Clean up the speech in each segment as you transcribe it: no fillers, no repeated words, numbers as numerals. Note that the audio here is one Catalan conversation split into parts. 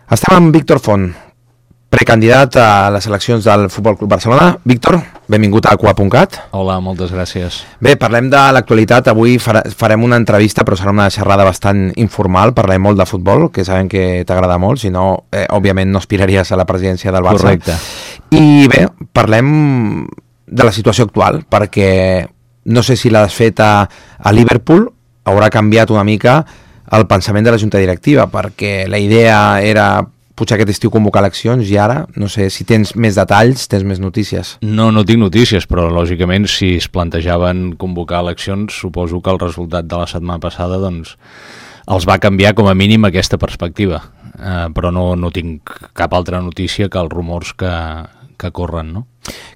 Estem amb Víctor Font, precandidat a les eleccions del Futbol Club Barcelona. Víctor, benvingut a Aqua.cat. Hola, moltes gràcies. Bé, parlem de l'actualitat. Avui farem una entrevista, però serà una xerrada bastant informal. Parlem molt de futbol, que sabem que t'agrada molt, si no, òbviament no aspiraries a la presidència del Barça. Correcte. I bé, parlem de la situació actual, perquè no sé si la desfeta a Liverpool haurà canviat una mica el pensament de la junta directiva, perquè la idea era potser aquest estiu convocar eleccions i ara, no sé, si tens més detalls, tens més notícies. No tinc notícies, però lògicament si es plantejaven convocar eleccions, suposo que el resultat de la setmana passada doncs, els va canviar com a mínim aquesta perspectiva, però no tinc cap altra notícia que els rumors que corren, no?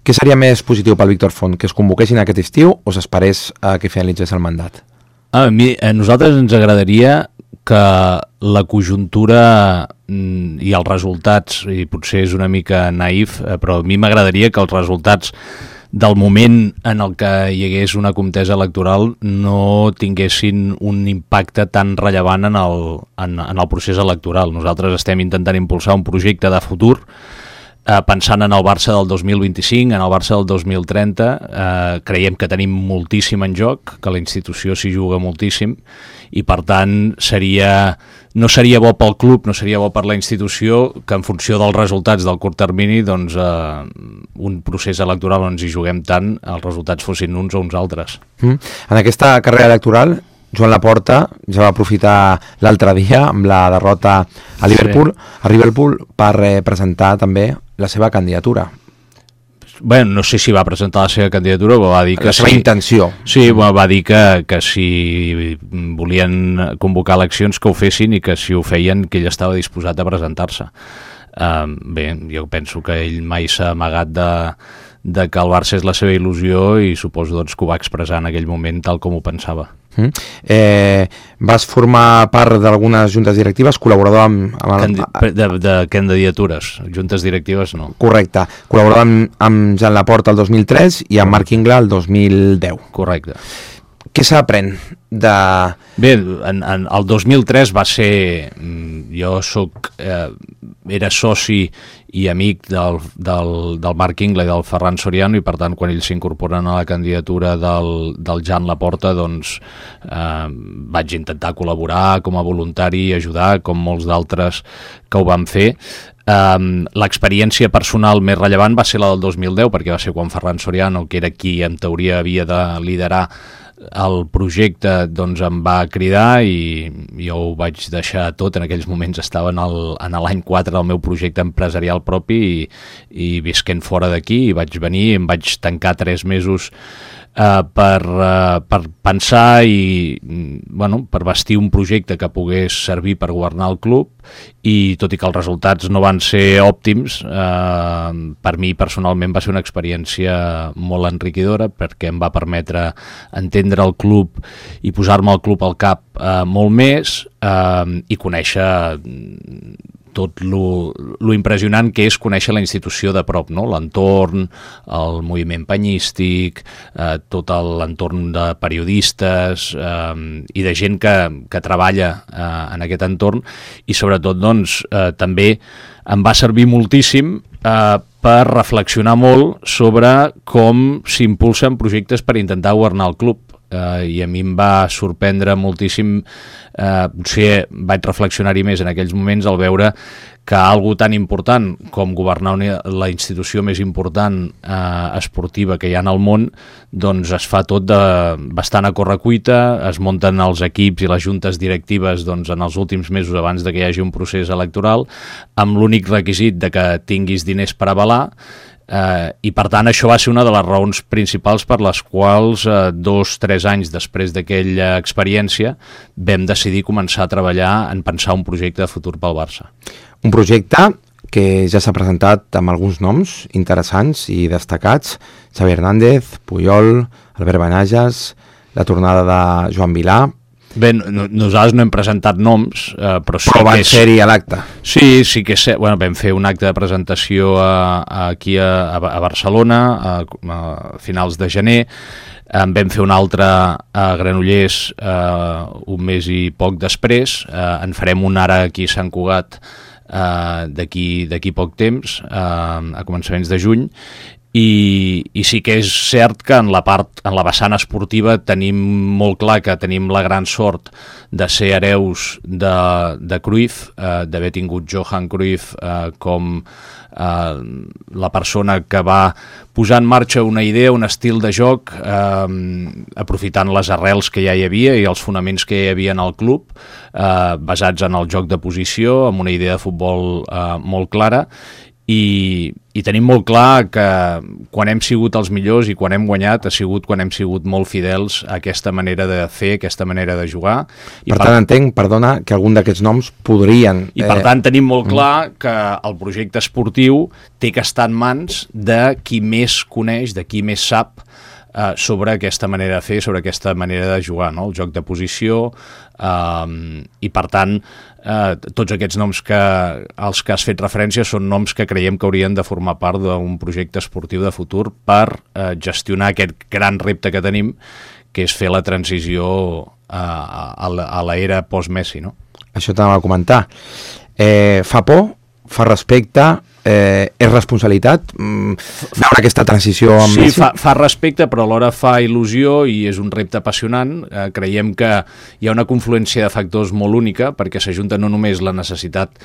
Què seria més positiu pel Víctor Font, que es convoquessin aquest estiu o s'esperés que finalitzés el mandat? A nosaltres ens agradaria que la conjuntura i els resultats, i potser és una mica naïf, però a mi m'agradaria que els resultats del moment en el que hi hagués una contesa electoral no tinguessin un impacte tan rellevant en el procés electoral. Nosaltres estem intentant impulsar un projecte de futur pensant en el Barça del 2025, en el Barça del 2030, creiem que tenim moltíssim en joc, que la institució s'hi juga moltíssim i per tant no seria bo pel club, no seria bo per la institució que en funció dels resultats del curt termini doncs, un procés electoral on ens hi juguem tant, els resultats fossin uns o uns altres. En aquesta carrera electoral Joan Laporta ja va aprofitar l'altre dia amb la derrota a Liverpool per presentar també la seva candidatura. Bé, no sé si va presentar la seva candidatura, però va dir que la seva intenció. Sí, va dir que si volien convocar eleccions que ho fessin i que si ho feien que ell estava disposat a presentar-se. Bé, jo penso que ell mai s'ha amagat de que el Barça és la seva il·lusió i suposo doncs, que ho va expressar en aquell moment tal com ho pensava. Vas formar part d'algunes juntes directives, col·laborador de candidatures, juntes directives no. Correcte, col·laborador amb Joan Laporta el 2003 i amb Marc Ingla el 2010. Correcte. Què s'aprèn de... Bé, el 2003 va ser... Jo era soci i amic del Marc Ingla i del Ferran Soriano i per tant quan ells s'incorporen a la candidatura del Joan Laporta doncs vaig intentar col·laborar com a voluntari i ajudar com molts d'altres que ho van fer. L'experiència personal més rellevant va ser la del 2010 perquè va ser quan Ferran Soriano, que era qui en teoria havia de liderar el projecte, doncs em va cridar i jo ho vaig deixar tot. En aquells moments estava en l'any 4 del meu projecte empresarial propi i visquent fora d'aquí i vaig venir, em vaig tancar 3 mesos per pensar i per bastir un projecte que pogués servir per governar el club i tot i que els resultats no van ser òptims, per mi personalment va ser una experiència molt enriquidora perquè em va permetre entendre el club i posar-me el club al cap molt més i conèixer tot lo impressionant que és conèixer la institució de prop, no? L'entorn, el moviment penyístic, tot l'entorn de periodistes i de gent que treballa en aquest entorn i sobretot doncs, també em va servir moltíssim per reflexionar molt sobre com s'impulsen projectes per intentar governar el club. I a mi em va sorprendre moltíssim, potser vaig reflexionar-hi més en aquells moments al veure que algo tan important com governar la institució més important esportiva que hi ha en el món doncs es fa tot bastant a correcuita, es munten els equips i les juntes directives doncs, en els últims mesos abans de que hi hagi un procés electoral amb l'únic requisit de que tinguis diners per avalar. I per tant això va ser una de les raons principals per les quals 2-3 anys després d'aquella experiència vam decidir començar a treballar en pensar un projecte de futur pel Barça. Un projecte que ja s'ha presentat amb alguns noms interessants i destacats: Xavi Hernández, Puyol, Albert Benages, la tornada de Joan Vilà. Bé, nosaltres no hem presentat noms, però sí però van ser-hi a l'acte. Sí que és... vam fer un acte de presentació aquí a Barcelona a finals de gener, en vam fer un altre a Granollers un mes i poc després, en farem un ara aquí a Sant Cugat d'aquí poc temps, a començaments de juny, i sí que és cert que en la vessant esportiva tenim molt clar que tenim la gran sort de ser hereus de Cruyff, d'haver tingut Johan Cruyff com la persona que va posar en marxa una idea, un estil de joc, aprofitant les arrels que ja hi havia i els fonaments que hi havia en el club, basats en el joc de posició, amb una idea de futbol molt clara, i tenim molt clar que quan hem sigut els millors i quan hem guanyat ha sigut quan hem sigut molt fidels a aquesta manera de fer, aquesta manera de jugar. Per tant, entenc, perdona, que algun d'aquests noms podrien... I per tant tenim molt clar que el projecte esportiu té que estar en mans de qui més coneix, de qui més sap sobre aquesta manera de fer, sobre aquesta manera de jugar, no? El joc de posició, i per tant tots aquests noms als que has fet referència són noms que creiem que haurien de formar part d'un projecte esportiu de futur per gestionar aquest gran repte que tenim, que és fer la transició a l'era post-Messi, no? Això t'anava a comentar. Fa por? Fa respecte? És responsabilitat veure aquesta transició amb Messi? Sí, fa respecte, però alhora fa il·lusió i és un repte apassionant. Creiem que hi ha una confluència de factors molt única, perquè s'ajunta no només la necessitat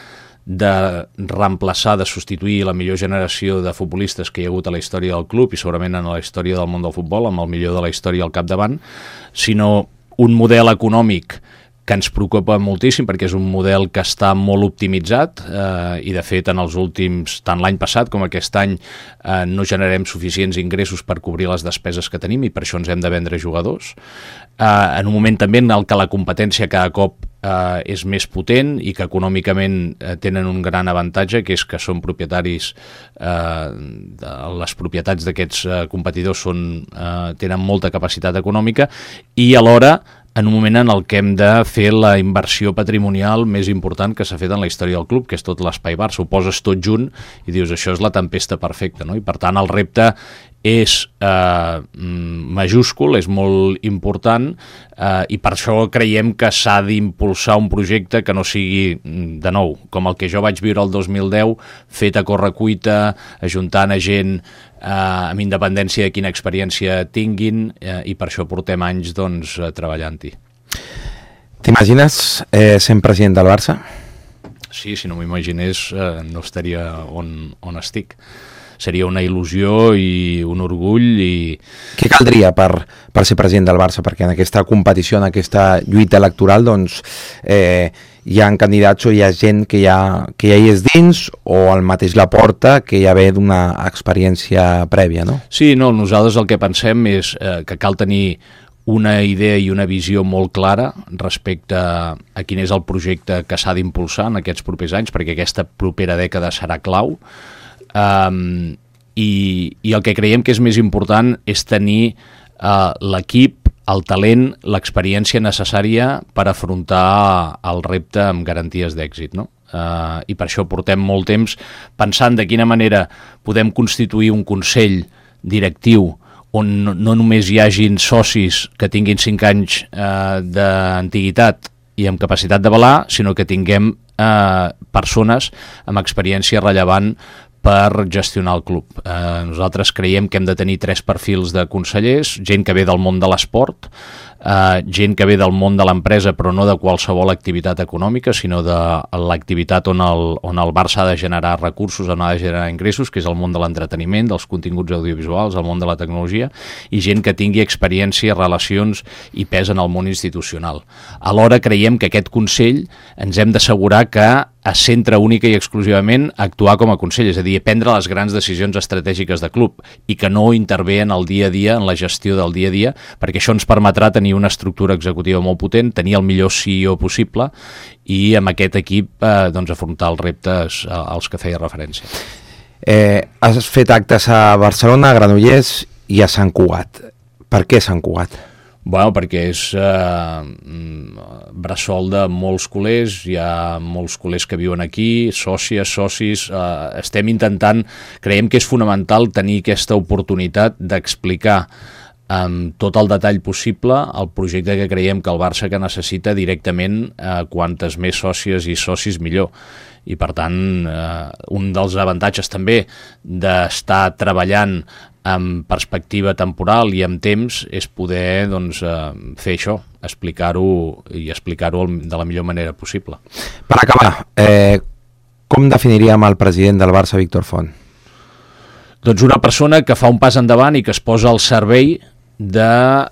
de reemplaçar, de substituir la millor generació de futbolistes que hi ha hagut a la història del club i segurament en la història del món del futbol, amb el millor de la història al capdavant, sinó un model econòmic que ens preocupa moltíssim perquè és un model que està molt optimitzat i de fet en els últims, tant l'any passat com aquest any, no generem suficients ingressos per cobrir les despeses que tenim i per això ens hem de vendre jugadors. En un moment també en el que la competència cada cop és més potent i que econòmicament tenen un gran avantatge, que és que són propietaris, les propietats d'aquests competidors tenen molta capacitat econòmica i alhora en un moment en el que hem de fer la inversió patrimonial més important que s'ha fet en la història del club, que és tot l'espai Barça. Ho poses tot junt i dius, això és la tempesta perfecta, no? I per tant el repte és majúscul, és molt important i per això creiem que s'ha d'impulsar un projecte que no sigui, de nou, com el que jo vaig viure el 2010, fet a correcuita, ajuntant a gent amb independència de quina experiència tinguin i per això portem anys doncs, treballant-hi. T'imagines sent president del Barça? Sí, si no m'imaginés no estaria on estic. Seria una il·lusió i un orgull. Què caldria per ser president del Barça? Perquè en aquesta competició, en aquesta lluita electoral, doncs, hi ha candidats o hi ha gent que ja hi és dins o el mateix Laporta que ja ve d'una experiència prèvia, no? Sí, no, nosaltres el que pensem és que cal tenir una idea i una visió molt clara respecte a quin és el projecte que s'ha d'impulsar en aquests propers anys, perquè aquesta propera dècada serà clau. I el que creiem que és més important és tenir l'equip, el talent, l'experiència necessària per afrontar el repte amb garanties d'èxit, no? I per això portem molt temps pensant de quina manera podem constituir un consell directiu on no només hi hagin socis que tinguin 5 anys d'antiguitat i amb capacitat d'avalar, sinó que tinguem persones amb experiència rellevant per gestionar el club. Nosaltres creiem que hem de tenir 3 perfils de consellers, gent que ve del món de l'esport, gent que ve del món de l'empresa però no de qualsevol activitat econòmica, sinó de l'activitat on el Barça ha de generar recursos, on ha de generar ingressos, que és el món de l'entreteniment, dels continguts audiovisuals, el món de la tecnologia, i gent que tingui experiència, relacions i pes en el món institucional. Alhora creiem que aquest Consell ens hem d'assegurar que es centra única i exclusivament a actuar com a Consell, és a dir, a prendre les grans decisions estratègiques de club i que no intervé en el dia a dia, en la gestió del dia a dia, perquè això ens permetrà tenir una estructura executiva molt potent, tenir el millor CEO possible i amb aquest equip doncs, afrontar els reptes als que feia referència. Has fet actes a Barcelona, a Granollers i a Sant Cugat. Per què Sant Cugat? Bueno, perquè és bressol de molts culers, hi ha molts culers que viuen aquí, sòcies, socis, estem intentant, creiem que és fonamental tenir aquesta oportunitat d'explicar amb tot el detall possible el projecte que creiem que el Barça que necessita directament quantes més sòcies i socis millor. i per tant un dels avantatges també d'estar treballant amb perspectiva temporal i amb temps és poder fer això, explicar-ho de la millor manera possible. Per acabar, com definiríem el president del Barça, Víctor Font? Doncs una persona que fa un pas endavant i que es posa al servei de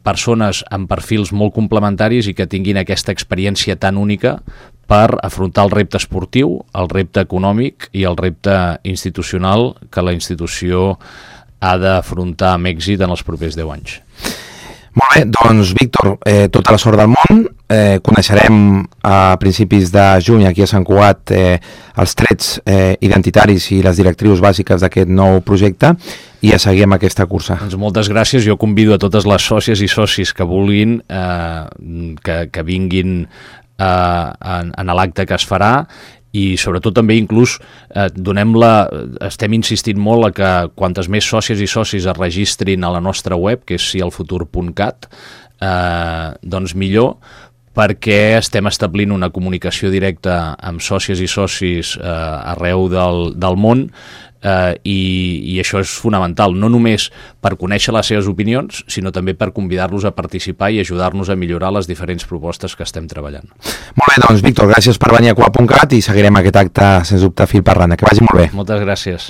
persones amb perfils molt complementaris i que tinguin aquesta experiència tan única per afrontar el repte esportiu, el repte econòmic i el repte institucional que la institució ha d'afrontar amb èxit en els propers 10 anys. Molt bé, doncs Víctor, tota la sort del món. Coneixerem a principis de juny aquí a Sant Cugat els trets identitaris i les directrius bàsiques d'aquest nou projecte i a seguir amb aquesta cursa. Doncs moltes gràcies. Jo convido a totes les sòcies i socis que vulguin que vinguin en l'acte que es farà i sobretot també inclús estem insistint molt a que quantes més sòcies i socis es registrin a la nostra web, que és sielfutur.cat, doncs millor, perquè estem establint una comunicació directa amb sòcies i socis arreu del món i això és fonamental, no només per conèixer les seves opinions, sinó també per convidar-los a participar i ajudar-nos a millorar les diferents propostes que estem treballant. Molt bé, doncs Víctor, gràcies per venir a Cugat.cat i seguirem aquest acte, sens dubte, fil per randa. Que vagi molt bé. Moltes gràcies.